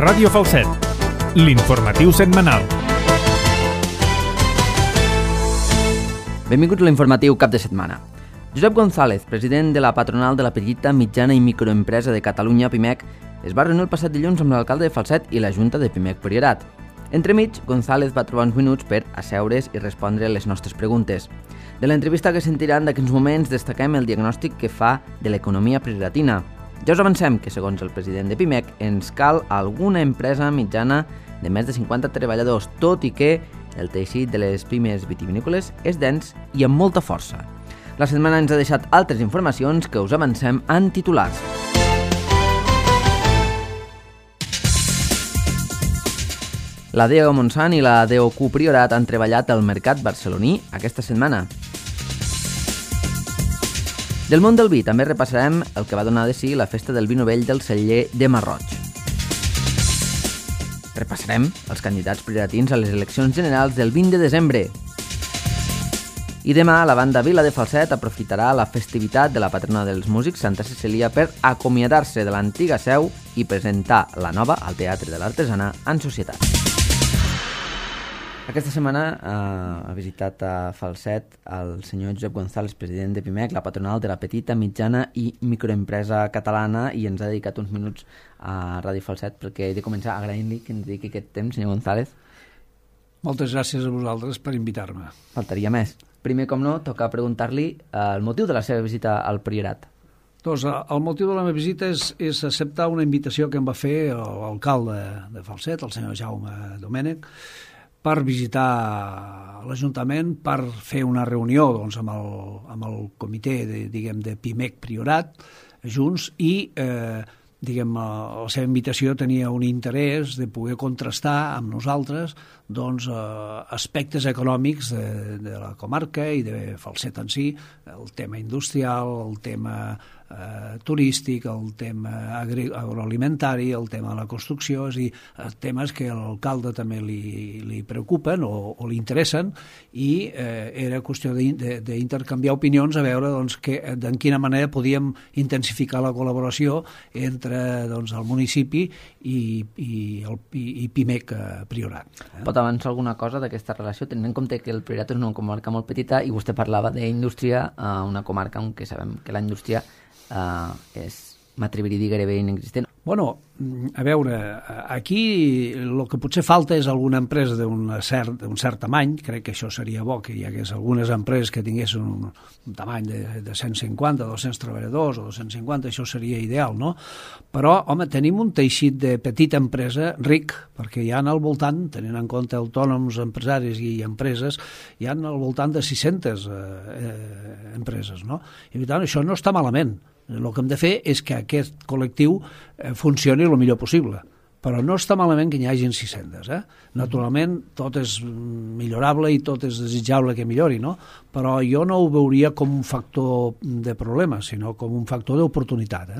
Ràdio Falset, l'informatiu setmanal. Benvinguts a l'informatiu cap de setmana. Josep González, president de la patronal de la petita, mitjana i microempresa de Catalunya, PIMEC, es va reunir el passat dilluns amb l'alcalde de Falset i la Junta de PIMEC Priorat. Entremig, González va trobar uns minuts per asseure's i respondre les nostres preguntes. De l'entrevista que sentiran d'aquests moments destaquem el diagnòstic que fa de l'economia prioratina. Ja us avancem que, segons el president de PIMEC, ens cal alguna empresa mitjana de més de 50 treballadors, tot i que el teixit de les pimes vitivinícoles és dens i amb molta força. La setmana ens ha deixat altres informacions que us avancem en titulars. La DEO Montsant i la DOQ Priorat han treballat al mercat barceloní aquesta setmana. Del món del vi també repassarem el que va donar de si la festa del vi novell del celler de Marroig. Repassarem els candidats prioratins a les eleccions generals del 20 de desembre. I demà la banda Vila de Falset aprofitarà la festivitat de la patrona dels músics, Santa Cecília, per acomiadar-se de l'antiga seu i presentar la nova al Teatre de l'Artesana en societat. Aquesta setmana ha visitat a Falset el senyor Josep González, president de PIMEC, la patronal de la petita, mitjana i microempresa catalana, i ens ha dedicat uns minuts a Ràdio Falset perquè he de començar agraint-li que ens dediqui aquest temps, senyor González. Moltes gràcies a vosaltres per invitar-me. Faltaria més. Primer, com no, toca preguntar-li el motiu de la seva visita al Priorat. Doncs el motiu de la meva visita és acceptar una invitació que em va fer l'alcalde de Falset, el senyor Jaume Domènech, per visitar l'Ajuntament, per fer una reunió doncs, amb el comitè de PIMEC Priorat, junts, i la seva invitació tenia un interès de poder contrastar amb nosaltres doncs, aspectes econòmics de la comarca i de Falset en si, el tema industrial, el tema turístic, el tema agroalimentari, el tema de la construcció, és a dir, temes que a l'alcalde també li preocupen o li interessen, i era qüestió d'intercanviar opinions a veure doncs, en quina manera podíem intensificar la col·laboració entre doncs, el municipi i PIMEC Priorat. Pot avançar alguna cosa d'aquesta relació, tenint en compte que el Priorat és una comarca molt petita i vostè parlava d'indústria, una comarca on que sabem que la indústria m'atreviria a dir gairebé inexistent. Bueno, a veure, aquí el que potser falta és alguna empresa d'un cert tamany. Crec que això seria bo, que hi hagués algunes empreses que tinguessin un tamany de 150, 200 treballadors o 250, això seria ideal, no? Però, home, tenim un teixit de petita empresa ric, perquè hi ha al voltant, tenint en compte autònoms, empresaris i empreses, hi ha al voltant de 600 empreses, no? I per tant, això no està malament. El que hem de fer és que aquest col·lectiu funcioni el millor possible, però no està malament que n'hi hagin 600. Naturalment, tot és millorable i tot és desitjable que millori, no? Però jo no ho veuria com un factor de problema, sinó com un factor d'oportunitat.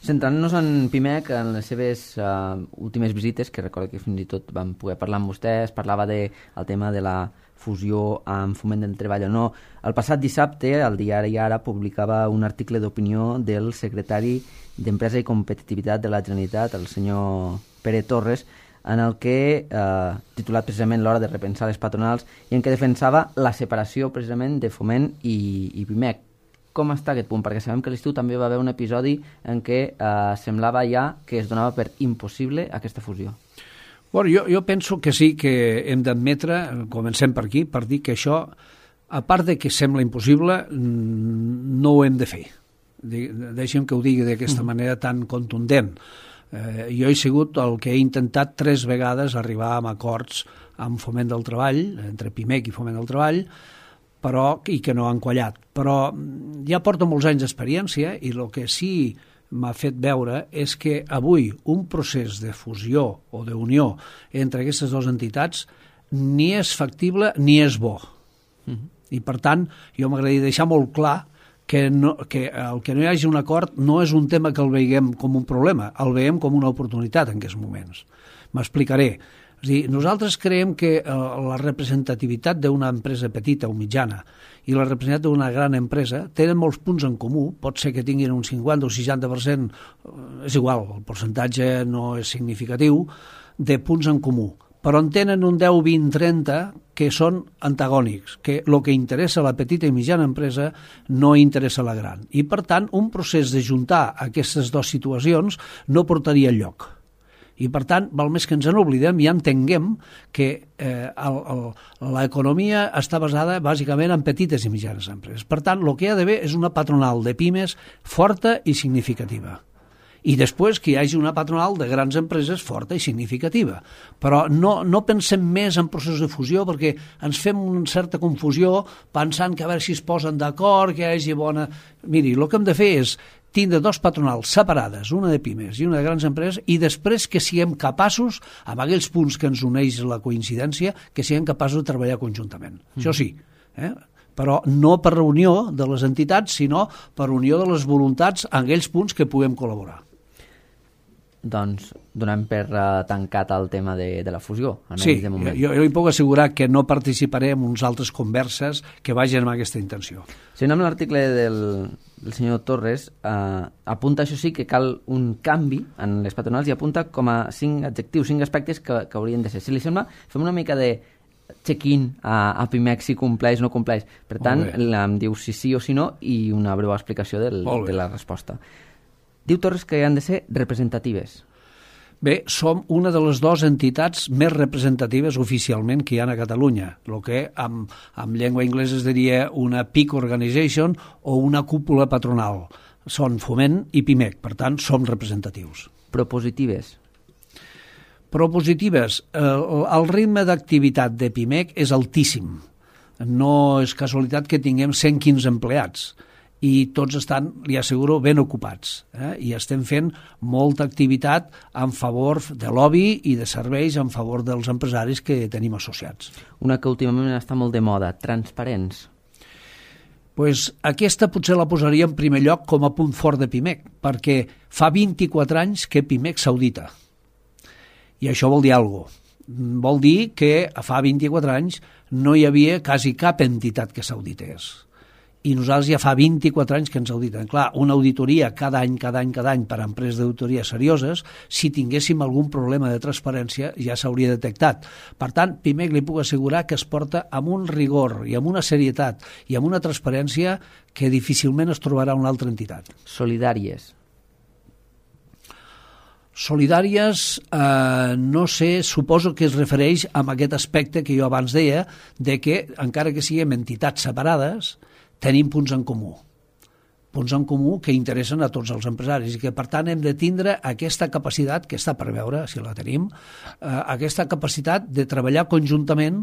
Centrant-nos en PIMEC, en les seves últimes visites, que recordo que fins i tot vam poder parlar amb vostè, es parlava del tema de la fusió amb Foment del Treball o no. El passat dissabte, el diari Ara publicava un article d'opinió del secretari d'Empresa i Competitivitat de la Generalitat, el senyor Pere Torres, en el que, titulat precisament l'hora de repensar les patronals, i en què defensava la separació precisament de Foment i PIMEC. Com està aquest punt? Perquè sabem que a l'estiu també va haver un episodi en què semblava ja que es donava per impossible aquesta fusió. Bueno, jo penso que sí que hem d'admetre, comencem per aquí, per dir que això, a part de que sembla impossible, no ho hem de fer. Deixem que ho digui d'aquesta manera tan contundent. Jo he sigut el que he intentat 3 vegades arribar a acords amb Foment del Treball, entre PIMEC i Foment del Treball, i que no han quallat. Però ja porto molts anys d'experiència i el que sí m'ha fet veure és que avui un procés de fusió o d'unió entre aquestes dues entitats ni és factible ni és bo. I per tant, jo m'agradaria deixar molt clar que el que no hi hagi un acord no és un tema que el veiem com un problema, el veiem com una oportunitat en aquests moments. M'explicaré. És a dir, nosaltres creiem que la representativitat d'una empresa petita o mitjana i la representativitat d'una gran empresa tenen molts punts en comú. Pot ser que tinguin un 50 o 60%, és igual, el percentatge no és significatiu, de punts en comú, però en tenen un 10, 20, 30 que són antagònics, que el que interessa a la petita i mitjana empresa no interessa a la gran. I, per tant, un procés de juntar aquestes dues situacions no portaria enlloc. I, per tant, val més que ens n'oblidem i entenguem que l'economia està basada bàsicament en petites i mitjanes empreses. Per tant, el que hi ha d'haver és una patronal de pimes forta i significativa. I després que hi hagi una patronal de grans empreses forta i significativa. Però no pensem més en processos de fusió perquè ens fem una certa confusió pensant que a veure si es posen d'acord, que hi hagi bona... Miri, el que hem de fer és tindre dos patronals separades, una de pimes i una de grans empreses, i després que siguem capaços, amb aquells punts que ens uneix la coincidència, que siguem capaços de treballar conjuntament. Això sí, però no per reunió de les entitats, sinó per unió de les voluntats en aquells punts que puguem col·laborar. Doncs donem per tancat el tema de la fusió. Sí, jo li puc assegurar que no participaré en uns altres converses que vagin amb aquesta intenció. Si no, amb l'article del senyor Torres apunta, això sí, que cal un canvi en les patronals i apunta com a 5 adjectius, 5 aspectes que haurien de ser. Si li sembla, fem una mica de check-in a PIMEC, si compleix o no compleix. Per tant, em diu si sí o si no i una breu explicació de la resposta. Diu Torres que han de ser representatives. Bé, som una de les dues entitats més representatives oficialment que hi ha a Catalunya, el que en llengua anglesa es diria una peak organization o una cúpula patronal. Són Foment i PIMEC, per tant, som representatius. Propositives. Propositives. El ritme d'activitat de PIMEC és altíssim. No és casualitat que tinguem 115 empleats. I tots estan, li asseguro, ben ocupats. I estem fent molta activitat en favor de lobby i de serveis en favor dels empresaris que tenim associats. Una que últimament està molt de moda, transparents. Pues aquesta potser la posaria en primer lloc com a punt fort de PIMEC, perquè fa 24 anys que PIMEC s'audita. I això vol dir alguna cosa. Vol dir que fa 24 anys no hi havia quasi cap entitat que s'audités. I nosaltres ja fa 24 anys que ens auditen. Clar, una auditoria cada any per a empreses d'auditoria serioses, si tinguéssim algun problema de transparència ja s'hauria detectat. Per tant, PIMEC li puc assegurar que es porta amb un rigor i amb una serietat i amb una transparència que difícilment es trobarà una altra entitat. Solidàries. Solidàries, no sé, suposo que es refereix a aquest aspecte que jo abans deia, de que encara que siguem entitats separades, tenim punts en comú que interessen a tots els empresaris i que, per tant, hem de tindre aquesta capacitat, que està per veure, si la tenim, aquesta capacitat de treballar conjuntament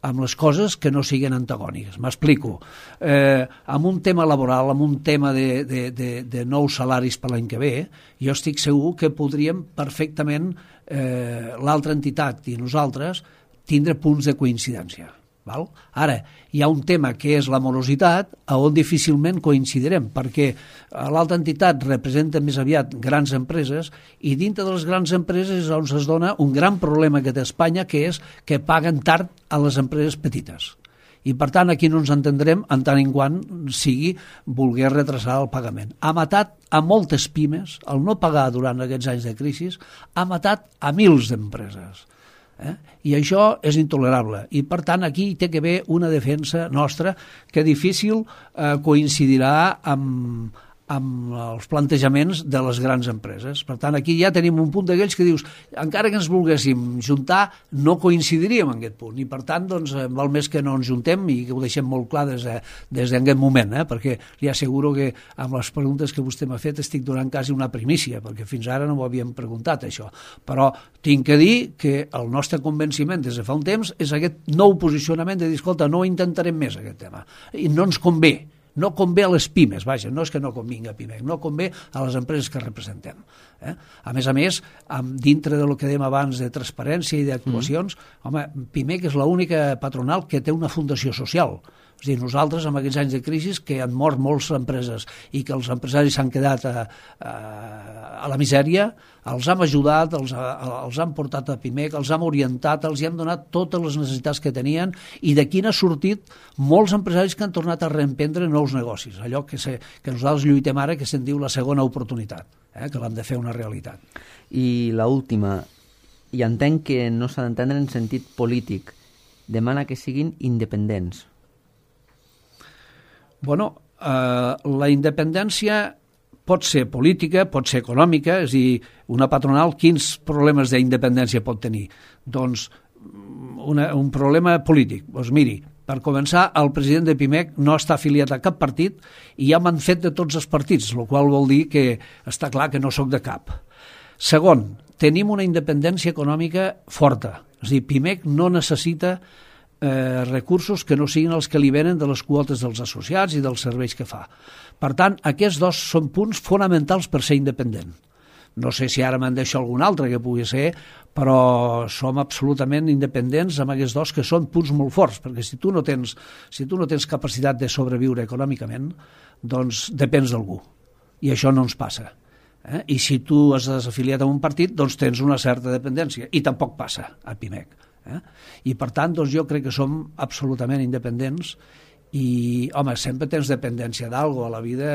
amb les coses que no siguin antagòniques. M'explico. Amb un tema laboral, amb un tema de nous salaris per l'any que ve, jo estic segur que podríem perfectament l'altra entitat i nosaltres tindre punts de coincidència. Ara, hi ha un tema que és la morositat, on difícilment coincidirem, perquè l'altra entitat representa més aviat grans empreses i dintre de les grans empreses és on es dona un gran problema que té Espanya, que és que paguen tard a les empreses petites. I, per tant, aquí no ens entendrem en tant en quant sigui voler retrasar el pagament. Ha matat a moltes pimes, el no pagar durant aquests anys de crisi, ha matat a mils d'empreses. I això és intolerable i per tant aquí té que haver una defensa nostra que difícil coincidirà amb els plantejaments de les grans empreses. Per tant, aquí ja tenim un punt d'aquells que dius, encara que ens volguéssim juntar, no coincidiríem en aquest punt. I, per tant, doncs, val més que no ens juntem i que ho deixem molt clar des d'aquest moment, perquè li asseguro que amb les preguntes que vostè m'ha fet estic donant quasi una primícia, perquè fins ara no m'ho havíem preguntat, això. Però tinc que dir que el nostre convenciment des de fa un temps és aquest nou posicionament de dir, escolta, no intentarem més aquest tema. I no ens convé. No convé a les pimes, vaja, no és que no convingui a PIMEC, no convé a les empreses que representem. A més, dintre del que dèiem abans de transparència i d'actuacions, home, PIMEC és l'única patronal que té una fundació social. És a dir, nosaltres, en aquests anys de crisi, que han mort moltes empreses i que els empresaris s'han quedat a la misèria, els hem ajudat, els han portat a PIMEC, els hem orientat, els hem donat totes les necessitats que tenien i d'aquí n'ha sortit molts empresaris que han tornat a reemprendre nous negocis, allò que nosaltres lluitem ara, que se'n diu la segona oportunitat, que l'hem de fer una realitat. I l'última, i entenc que no s'ha d'entendre en sentit polític, demana que siguin independents. Bueno, la independència pot ser política, pot ser econòmica, és a dir, una patronal, quins problemes d'independència pot tenir? Doncs un problema polític. Doncs miri, per començar, el president de PIMEC no està afiliat a cap partit i ja m'han fet de tots els partits, el qual vol dir que està clar que no sóc de cap. Segon, tenim una independència econòmica forta. És a dir, PIMEC no necessita recursos que no siguin els que li venen de les quotes dels associats i dels serveis que fa. Per tant, aquests dos són punts fonamentals per ser independent. No sé si ara me'n deixo algun altre que pugui ser, però som absolutament independents amb aquests dos que són punts molt forts, perquè si tu no tens capacitat de sobreviure econòmicament, doncs depens d'algú. I això no ens passa. I si tu has desafiliat a un partit, doncs tens una certa dependència. I tampoc passa a PIMEC. I per tant, doncs jo crec que som absolutament independents i, home, sempre tens dependència d'algo a la vida,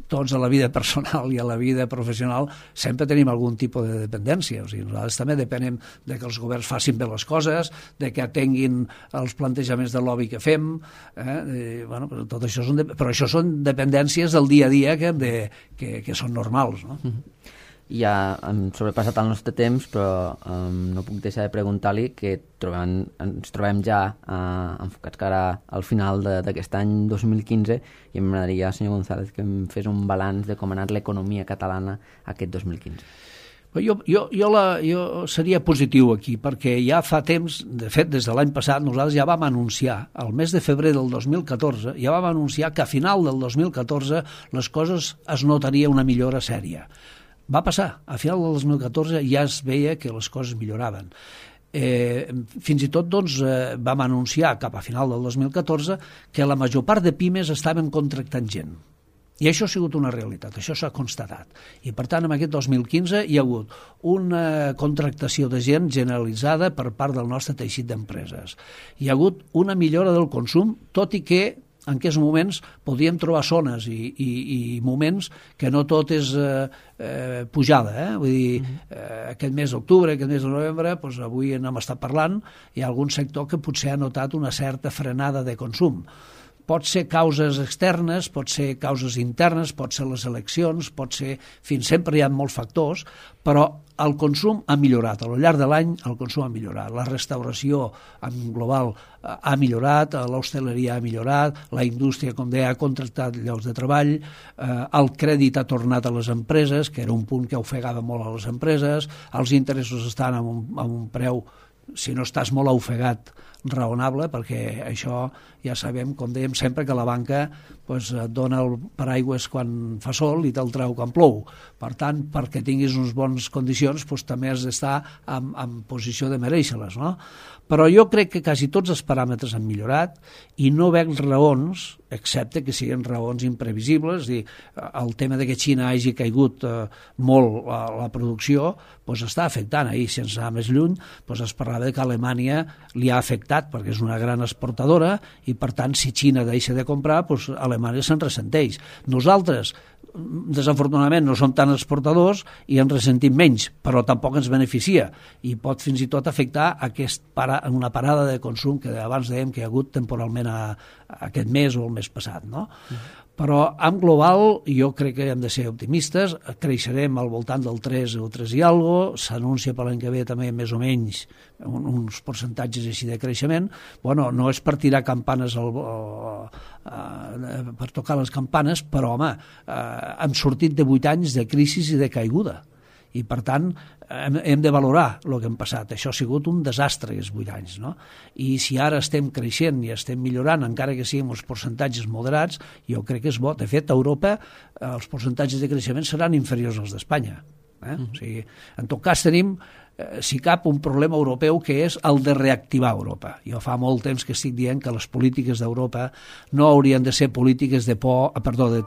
tots a la vida personal i a la vida professional sempre tenim algun tipus de dependència. O sigui, nosaltres també depenem de que els governs facin bé les coses, de que atenguin els plantejaments de lobby que fem, bueno, tot això però això són dependències del dia a dia que són normals, no? Ja hem sobrepassat el nostre temps, però no puc deixar de preguntar-li que ens trobem ja enfocats cara al final d'aquest any 2015 i m'agradaria, senyor González, que em fes un balanç de com ha anat l'economia catalana aquest 2015. Jo seria positiu aquí, perquè ja fa temps, de fet, des de l'any passat, nosaltres ja vam anunciar, al mes de febrer del 2014, ja vam anunciar que a final del 2014 les coses es notaria una millora sèria. Va passar, a final del 2014 ja es veia que les coses milloraven. Fins i tot doncs, vam anunciar cap a final del 2014 que la major part de pimes estaven contractant gent. I això ha sigut una realitat, això s'ha constatat. I per tant, en aquest 2015 hi ha hagut una contractació de gent generalitzada per part del nostre teixit d'empreses. Hi ha hagut una millora del consum, tot i que en aquests moments podíem trobar zones i moments que no tot és pujada. Vull dir, aquest mes d'octubre, aquest mes de novembre, doncs avui n'hem estat parlant, hi ha algun sector que potser ha notat una certa frenada de consum. Pot ser causes externes, pot ser causes internes, pot ser les eleccions, pot ser... sempre hi ha molts factors, però el consum ha millorat. A lo llarg de l'any el consum ha millorat. La restauració en global ha millorat, l'hostaleria ha millorat, la indústria, com deia, ha contractat llocs de treball, el crèdit ha tornat a les empreses, que era un punt que ofegava molt a les empreses, els interessos estan a un preu, si no estàs molt ofegat, raonable, perquè això ja sabem, com dèiem sempre, que la banca doncs, et dona el paraigües quan fa sol i te'l treu quan plou. Per tant, perquè tinguis unes bones condicions, doncs, també has d'estar en posició de merèixer-les, no? Però jo crec que quasi tots els paràmetres han millorat i no veig raons, excepte que siguin raons imprevisibles, és a dir, el tema de que Xina hagi caigut molt la producció doncs està afectant. Ahir, sense anar més lluny, doncs es parlava que Alemanya li ha afectat perquè és una gran exportadora i, per tant, si Xina deixa de comprar, doncs Alemanya se'n ressenteix. Nosaltres, desafortunadament, no som tan exportadors i ens ressentim menys, però tampoc ens beneficia i pot fins i tot afectar una parada de consum que abans dèiem que hi ha hagut temporalment aquest mes o el mes passat, no? Però en global jo crec que hem de ser optimistes, creixerem al voltant del 3 o 3 i alguna cosa, s'anuncia per l'any que ve també més o menys uns percentatges així de creixement. Bueno, no és per tirar campanes per tocar les campanes, però home, hem sortit de 8 anys de crisi i de caiguda. I per tant hem de valorar el que hem passat. Això ha sigut un desastre aquests 8 anys, no? I si ara estem creixent i estem millorant, encara que siguin uns percentatges moderats, jo crec que és bo. De fet, a Europa els percentatges de creixement seran inferiors als d'Espanya. O sigui, en tot cas tenim, si cap, un problema europeu que és el de reactivar Europa. Jo fa molt temps que estic dient que les polítiques d'Europa no haurien de ser polítiques de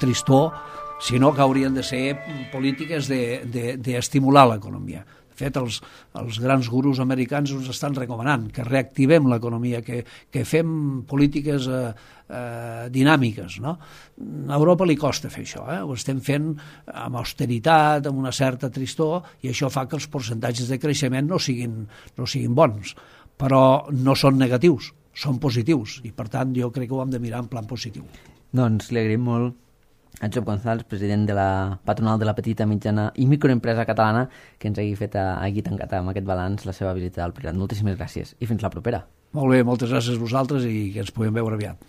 tristor, sinó que haurien de ser polítiques d'estimular l'economia. De fet, els grans gurus americans ens estan recomanant que reactivem l'economia, que fem polítiques dinàmiques, no? A Europa li costa fer això, ho estem fent amb austeritat, amb una certa tristor, i això fa que els percentatges de creixement no siguin bons, però no són negatius, són positius, i per tant jo crec que ho hem de mirar en plan positiu. Doncs li agraïm molt a Josep González, president de la patronal de la petita, mitjana i microempresa catalana, que ens hagi tancat amb aquest balanç la seva visita al Priorat. Moltíssimes gràcies i fins la propera. Molt bé, moltes gràcies a vosaltres i que ens puguem veure aviat.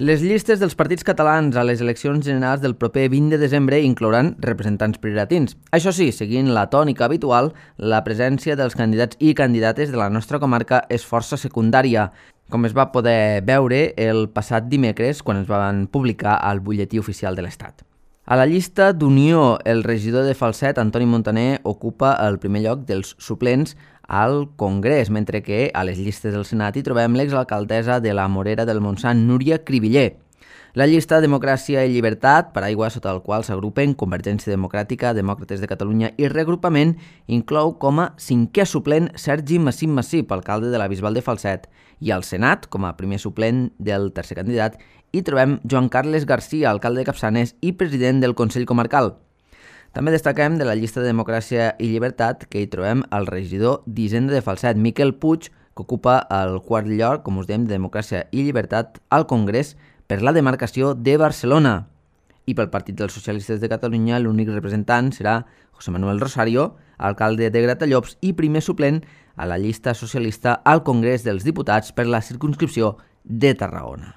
Les llistes dels partits catalans a les eleccions generals del proper 20 de desembre inclouran representants prioratins. Això sí, seguint la tònica habitual, la presència dels candidats i candidates de la nostra comarca és força secundària, com es va poder veure el passat dimecres quan es van publicar al butlletí oficial de l'Estat. A la llista d'Unió, el regidor de Falset, Antoni Montaner, ocupa el primer lloc dels suplents al Congrés, mentre que a les llistes del Senat hi trobem l'exalcaldessa de la Morera del Montsant, Núria Cribiller. La llista Democràcia i Llibertat, paraigua sota el qual s'agrupen Convergència Democràtica, Demòcrates de Catalunya i Reagrupament, inclou com a cinquè suplent Sergi Massip, alcalde de la Bisbal de Falset, i al Senat, com a primer suplent del tercer candidat, hi trobem Joan Carles Garcia, alcalde de Capçanes i president del Consell Comarcal. També destaquem de la llista de Democràcia i Llibertat que hi trobem el regidor d'Hisenda de Falset, Miquel Puig, que ocupa el quart lloc, com us dèiem, de Democràcia i Llibertat al Congrés per la demarcació de Barcelona. I pel Partit dels Socialistes de Catalunya l'únic representant serà José Manuel Rosario, alcalde de Gratallops i primer suplent a la llista socialista al Congrés dels Diputats per la circumscripció de Tarragona.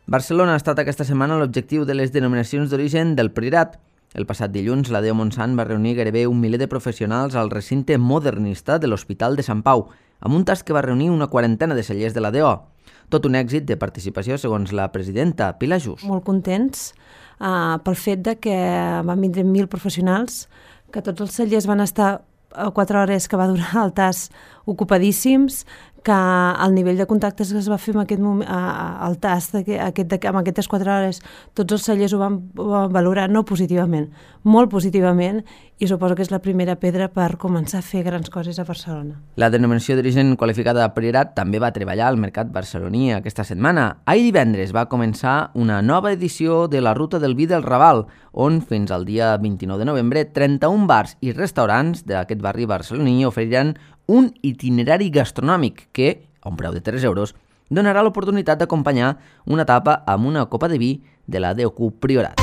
Barcelona ha estat aquesta setmana l'objectiu de les denominacions d'origen del Priorat. El passat dilluns, la Deo Montsant va reunir gairebé 1 miler de professionals al recinte modernista de l'Hospital de Sant Pau, amb un tast que va reunir una quarantena de cellers de la DO. Tot un èxit de participació, segons la presidenta Pilar Just. Molt contents pel fet de que van vindre 1.000 professionals, que tots els cellers van estar 4 hores que va durar el tast ocupadíssims, que el nivell de contactes que es va fer en aquest moment, el tast amb aquestes 4 hores, tots els cellers ho van valorar no positivament, molt positivament, i suposo que és la primera pedra per començar a fer grans coses a Barcelona. La denominació d'origen qualificada de Priorat també va treballar al mercat barceloní aquesta setmana. Ahir divendres va començar una nova edició de la Ruta del Vi del Raval, on fins al dia 29 de novembre 31 bars i restaurants d'aquest barri barceloní oferiran un itinerari gastronòmic que, a un preu de 3 euros, donarà l'oportunitat d'acompanyar una tapa amb una copa de vi de la DOQ Priorat.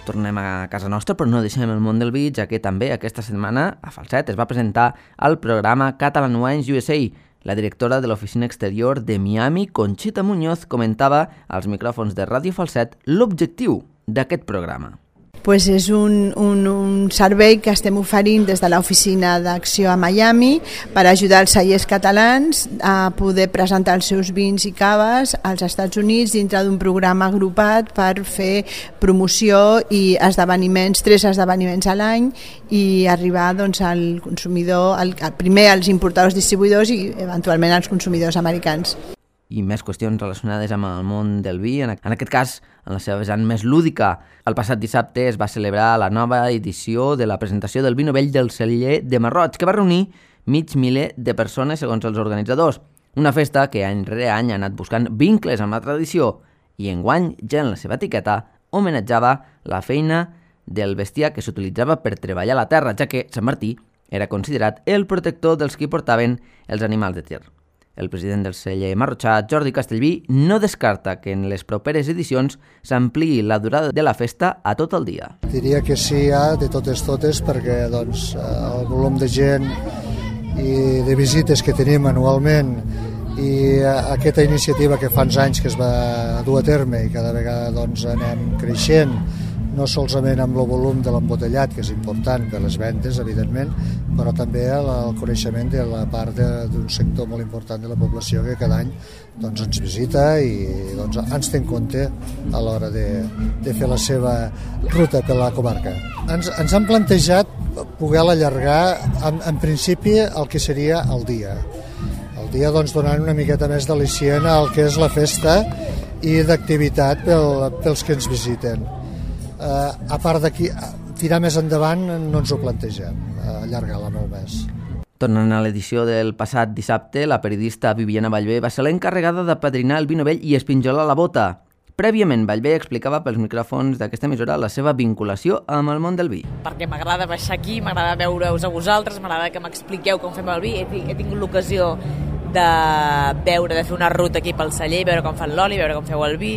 Tornem a casa nostra, però no deixem el món del vi, ja que també aquesta setmana a Falset es va presentar el programa Catalan Wines USA. La directora de l'oficina exterior de Miami, Conxita Muñoz, comentava als micròfons de Ràdio Falset l'objectiu d'aquest programa. Pues és un servei que estem oferint des de l'oficina d'acció a Miami per ajudar els cellers catalans a poder presentar els seus vins i caves als Estats Units dintre d'un programa agrupat per fer promoció i esdeveniments, 3 esdeveniments a l'any, i arribar doncs, al consumidor, primer als importadors distribuïdors i eventualment als consumidors americans. I més qüestions relacionades amb el món del vi, en aquest cas en la seva vessant més lúdica. El passat dissabte es va celebrar la nova edició de la presentació del vi novell del celler de Marroig, que va reunir mig miler de persones segons els organitzadors. Una festa que any rere any ha anat buscant vincles amb la tradició i enguany, ja en la seva etiqueta, homenatjava la feina del bestiar que s'utilitzava per treballar la terra, ja que Sant Martí era considerat el protector dels qui portaven els animals de tir. El president del celler marrotxà, Jordi Castellví, no descarta que en les properes edicions s'ampliï la durada de la festa a tot el dia. Diria que sí, de totes, perquè doncs, el volum de gent i de visites que tenim anualment i aquesta iniciativa que fa uns anys que es va dur a terme i cada vegada doncs, anem creixent, no solament amb el volum de l'embotellat, que és important per les vendes, evidentment, però també el coneixement de la part d'un sector molt important de la població que cada any doncs, ens visita i doncs, ens té en compte a l'hora de fer la seva ruta per la comarca. Ens han plantejat poder-la allargar en principi el que seria el dia. El dia doncs, donant una miqueta més d'al·licient al que és la festa i d'activitat pels que ens visiten. A part d'aquí, tirar més endavant no ens ho plantegem, allargar-la molt més. Tornant a l'edició del passat dissabte, la periodista Viviana Vallvé va ser l'encarregada de padrinar el vi novell i espinjolar la bota. Prèviament, Vallvé explicava pels micròfons d'aquesta emissora la seva vinculació amb el món del vi. Perquè m'agrada baixar aquí, m'agrada veure-us a vosaltres, m'agrada que m'expliqueu com fem el vi. He tingut l'ocasió de fer una ruta aquí pel celler, veure com fan l'oli, veure com feu el vi.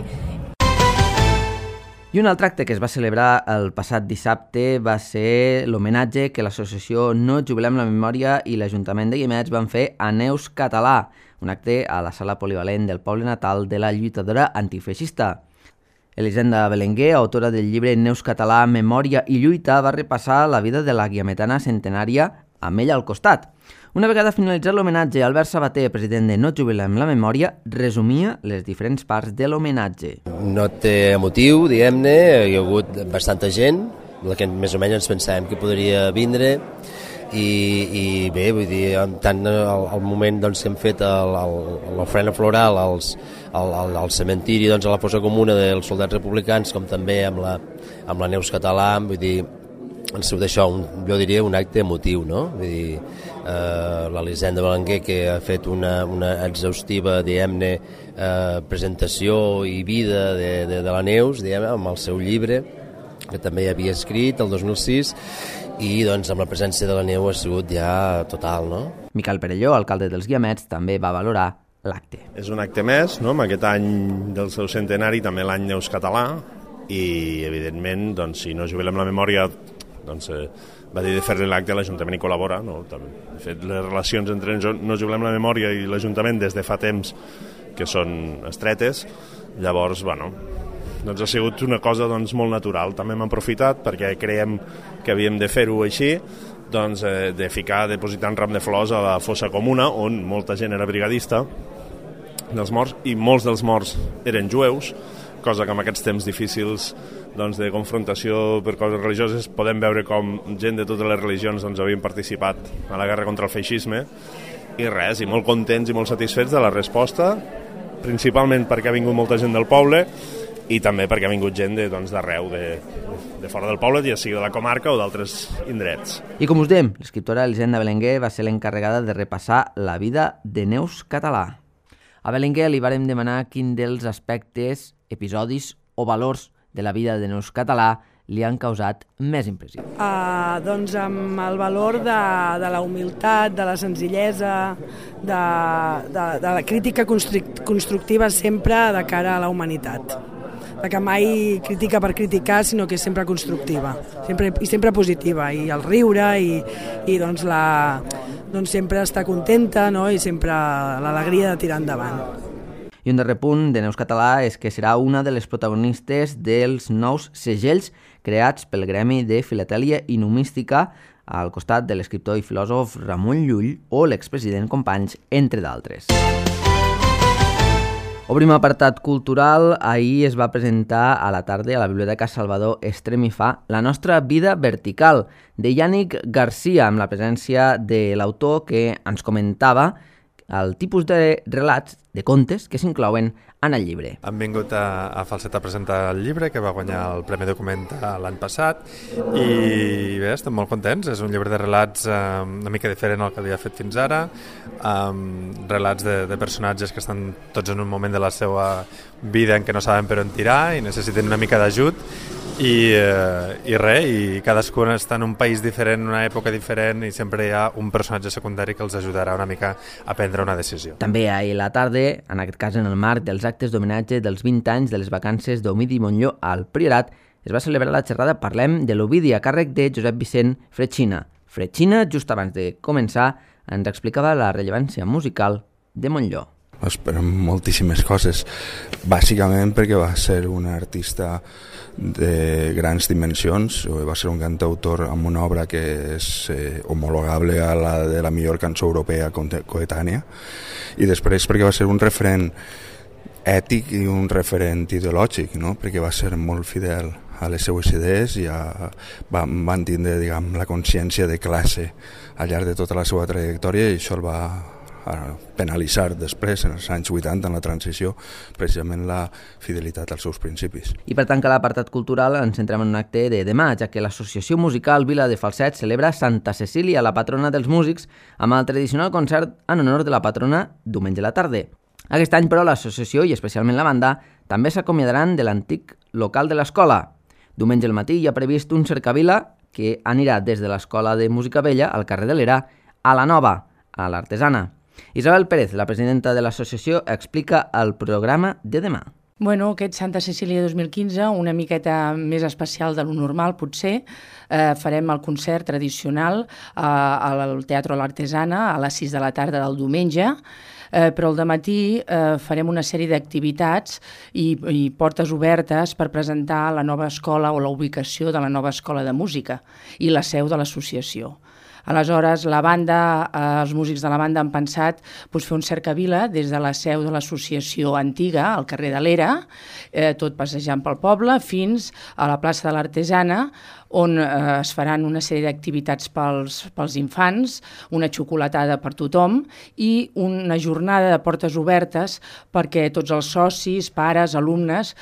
I un altre acte que es va celebrar el passat dissabte va ser l'homenatge que l'associació No Jubilem la Memòria i l'Ajuntament de Guiamets van fer a Neus Català, un acte a la sala polivalent del poble natal de la lluitadora antifeixista. Elisenda Belenguer, autora del llibre Neus Català, Memòria i Lluita, va repassar la vida de la guiametana centenària amb ella al costat. Una vegada finalitzat l'homenatge, Albert Sabater, president de No Jubilem la Memòria, resumia les diferents parts de l'homenatge. No té motiu, diguem-ne, hi ha hagut bastanta gent, la que més o menys ens pensàvem que podria vindre, i bé, vull dir, tant al moment doncs, que hem fet l'ofrena floral al cementiri, doncs, a la fossa comuna dels soldats republicans, com també amb la Neus Català, vull dir, han sigut això, jo diria, un acte emotiu, no? Vull dir, l'Elisenda Belenguer, que ha fet una exhaustiva, diguem-ne, presentació i vida de la Neus, diguem-ne, amb el seu llibre, que també havia escrit el 2006, i doncs amb la presència de la neu ha sigut ja total, no? Miquel Perelló, alcalde dels Guiamets, també va valorar l'acte. És un acte més, no?, amb aquest any del seu centenari, també l'any Neus Català, i evidentment, doncs, si No Jubilem la Memòria, doncs, va dir de fer-li l'acte, l'Ajuntament hi col·labora, no? De fet, les relacions entre No Jubilem la Memòria i l'Ajuntament des de fa temps que són estretes, llavors, bueno, doncs ha sigut una cosa doncs, molt natural. També hem aprofitat perquè creiem que havíem de fer-ho així, doncs, de depositar un ram de flors a la fossa comuna, on molta gent era brigadista dels morts, i molts dels morts eren jueus, cosa que en aquests temps difícils doncs, de confrontació per coses religioses podem veure com gent de totes les religions doncs, havien participat a la guerra contra el feixisme, i res, i molt contents i molt satisfets de la resposta, principalment perquè ha vingut molta gent del poble i també perquè ha vingut gent d'arreu, de fora del poble, ja sigui de la comarca o d'altres indrets. I com us dèiem, l'escriptora Elisenda Belenguer va ser l'encarregada de repassar la vida de Neus Català. A Belenguer li vàrem demanar quin dels aspectes, episodis o valors de la vida de Neus Català li han causat més impressió. Doncs amb el valor de la humilitat, de la senzillesa, de la crítica constructiva sempre de cara a la humanitat. Que mai critica per criticar, sinó que és sempre constructiva, sempre positiva, i el riure i doncs sempre estar contenta, no? I sempre l'alegria de tirar endavant. I un darrer punt de Neus Català és que serà una de les protagonistes dels nous segells creats pel Gremi de Filatèlia i Numística al costat de l'escriptor i filòsof Ramon Llull o l'expresident Companys, entre d'altres. Obrim apartat cultural. Ahir es va presentar a la tarda a la Biblioteca Salvador Estremifà La nostra vida vertical, de Yannick Garcia, amb la presència de l'autor que ens comentava el tipus de relats, de contes, que s'inclouen en el llibre. Han vingut a Falset a presentar el llibre, que va guanyar el Premi Document l'any passat, i bé, estem molt contents. És un llibre de relats una mica diferent al que havia fet fins ara, relats de personatges que estan tots en un moment de la seva vida en què no saben per on tirar i necessiten una mica d'ajut, i cadascun està en un país diferent, en una època diferent, i sempre hi ha un personatge secundari que els ajudarà una mica a prendre una decisió. També ahir a la tarda, en aquest cas en el marc dels actes d'homenatge dels 20 anys de les vacances d'Ovidi Montllor al Priorat, es va celebrar la xerrada Parlem de l'Ovidi a càrrec de Josep Vicent Fretxina. Fretxina, just abans de començar, ens explicava la rellevància musical de Montllor. esperem moltíssimes coses, bàsicament perquè va ser un artista de grans dimensions, va ser un cantautor amb una obra que és homologable a la de la millor cançó europea coetània, i després perquè va ser un referent ètic i un referent ideològic, no? Perquè va ser molt fidel a les seues idees i van tindre, diguem, la consciència de classe al llarg de tota la seva trajectòria, i això el va penalitzar després, en els anys 80, en la transició, precisament la fidelitat als seus principis. I per tancar l'apartat cultural ens centrem en un acte de demà, ja que l'Associació Musical Vila de Falset celebra Santa Cecília, la patrona dels músics, amb el tradicional concert en honor de la patrona diumenge a la tarda. Aquest any, però, l'associació, i especialment la banda, també s'acomiadaran de l'antic local de l'escola. Diumenge al matí hi ha previst un cercavila que anirà des de l'Escola de Música Vella, al carrer de l'Era, a la Nova, a l'Artesana. Isabel Pérez, la presidenta de l'associació, explica el programa de demà. Bueno, aquest Santa Cecília 2015, una miqueta més especial de lo normal, potser. Farem el concert tradicional al Teatre L'Artesana a les 6 de la tarda del diumenge, però al dematí farem una sèrie d'activitats i portes obertes per presentar la nova escola o la ubicació de la nova escola de música i la seu de l'associació. Aleshores, la banda, els músics de la banda han pensat fer un cercavila des de la seu de l'associació antiga, al carrer de l'Era, tot passejant pel poble, fins a la plaça de l'Artesana, on es faran una sèrie d'activitats pels infants, una xocolatada per tothom i una jornada de portes obertes perquè tots els socis, pares, alumnes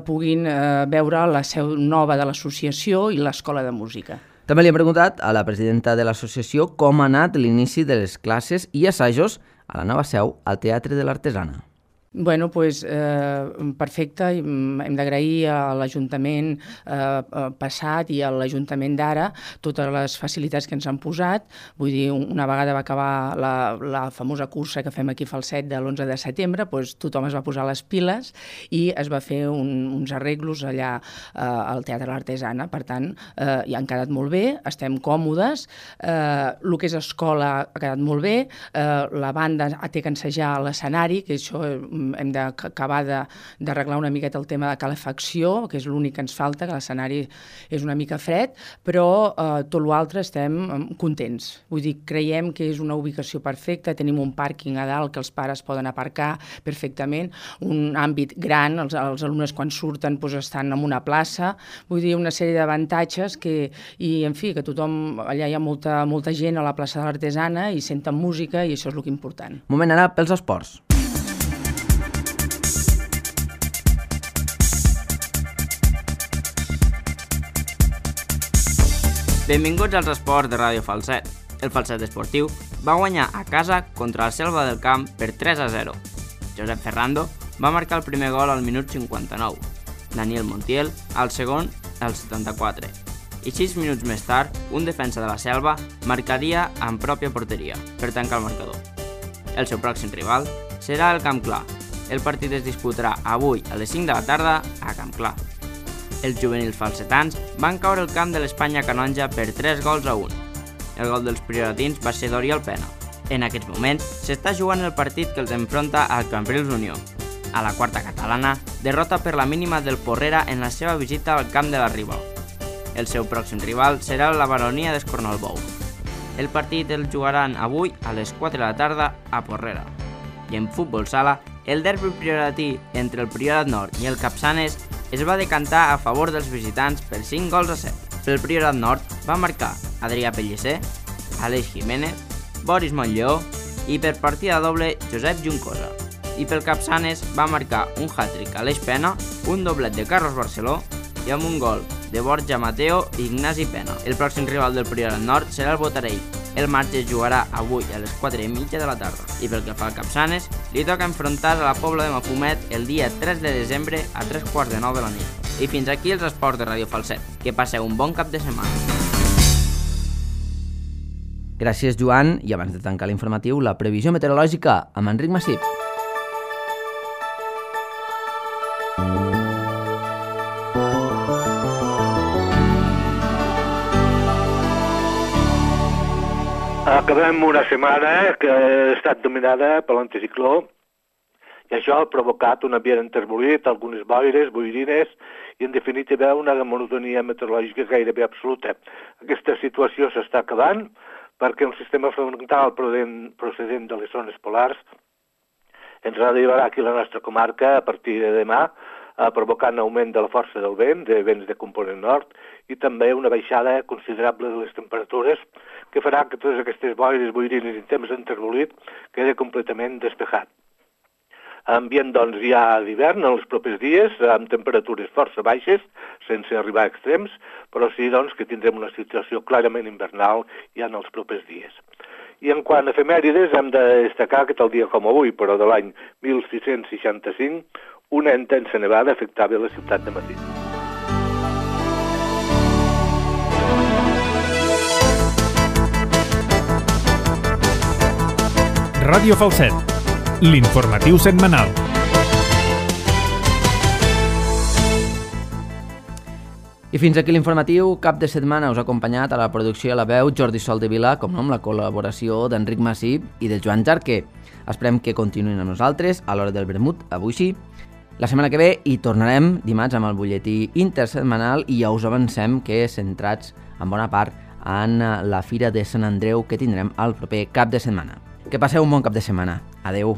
puguin veure la seu nova de l'associació i l'escola de música. També li hem preguntat a la presidenta de l'associació com ha anat l'inici de les classes i assajos a la nova seu al Teatre de l'Artesana. Bueno, doncs perfecte. Hem d'agrair a l'Ajuntament passat i a l'Ajuntament d'ara totes les facilitats que ens han posat. Vull dir, una vegada va acabar la famosa cursa que fem aquí a Falset de l'11 de setembre, doncs tothom es va posar les piles i es va fer uns arreglos allà al Teatre de l'Artesana. Per tant, ja han quedat molt bé, estem còmodes. El que és escola ha quedat molt bé. La banda té que ensejar a l'escenari, que això hem d'acabar d'arreglar una miqueta el tema de calefacció, que és l'únic que ens falta, que l'escenari és una mica fred, però tot l'altre estem contents. Vull dir, creiem que és una ubicació perfecta, tenim un pàrquing a dalt que els pares poden aparcar perfectament, un àmbit gran, els alumnes quan surten estan en una plaça, vull dir, una sèrie d'avantatges i, en fi, que tothom, allà hi ha molta gent a la plaça de l'Artesana i senten música i això és el que és important. Moment ara pels esports. Benvinguts als esports de Ràdio Falset. El Falset Esportiu va guanyar a casa contra el Selva del Camp per 3-0. Josep Ferrando va marcar el primer gol al minut 59, Daniel Montiel al segon al 74, i 6 minuts més tard un defensa de la Selva marcaria en pròpia porteria per tancar el marcador. El seu pròxim rival serà el Camp Clar. El partit es disputarà avui a les 5 de la tarda a Camp Clar. Els juvenils falsetans van caure al camp de l'Espanya Canonja per 3-1. El gol dels prioratins va ser d'Oriol Pena. En aquests moments s'està jugant el partit que els enfronta al Cambrils Unió. A la quarta catalana, derrota per la mínima del Porrera en la seva visita al camp de la Riba. El seu pròxim rival serà la Baronia d'Escornalbou. El partit el jugaran avui a les 4 de la tarda a Porrera. I en futbol sala, el derbi prioratí entre el Priorat Nord i el Capçanes es va decantar a favor dels visitants per 5-7. Pel Priorat Nord va marcar Adrià Pellicer, Aleix Jiménez, Boris Montllleó i per partida doble Josep Juncosa. I pel Capçanes va marcar un hat-trick Aleix Pena, un doblet de Carlos Barceló i amb un gol de Borja Mateo i Ignasi Pena. El pròxim rival del Priorat Nord serà el Botarell. El match es jugarà avui a les 4:30 de la tarda. I pel que fa al Capçanes, li toca enfrontar a la Pobla de Mafumet el dia 3 de desembre a 3:45 de la nit. I fins aquí els esports de Ràdio Falset. Que passeu un bon cap de setmana. Gràcies, Joan. I abans de tancar l'informatiu, la previsió meteorològica amb Enric Massip. Acabem una setmana que ha estat dominada per l'anticicló I això ha provocat un ambient enterbolit, algunes boires, boirines i, en definitiva, una monotonia meteorològica gairebé absoluta. Aquesta situació s'està acabant perquè un sistema frontal procedent de les zones polars ens arribarà aquí a la nostra comarca a partir de demà, provocant augment de la força del vent, de vents de component nord, i també una baixada considerable de les temperatures que farà que totes aquestes boires, boirines i temps enterbolit quedi completament despejat. Ambient, doncs, ja d'hivern en els propers dies, amb temperatures força baixes, sense arribar a extrems, però sí, doncs, que tindrem una situació clarament invernal ja en els propers dies. I en quant a efemèrides, hem de destacar que tal dia com avui, però de l'any 1665, una intensa nevada afectava la ciutat de Madrid. Ràdio Falset, l'informatiu setmanal. I fins aquí l'informatiu. Cap de setmana us ha acompanyat a la producció i a la veu Jordi Soldevila, com no, amb la col·laboració d'Enric Massip i de Joan Jarquer. Esperem que continuïn amb nosaltres a l'hora del vermut, avui sí. La setmana que ve hi tornarem dimarts amb el butlletí intersetmanal i ja us avancem que centrats en bona part en la Fira de Sant Andreu que tindrem el proper cap de setmana. Que passeu un bon cap de setmana. Adeu.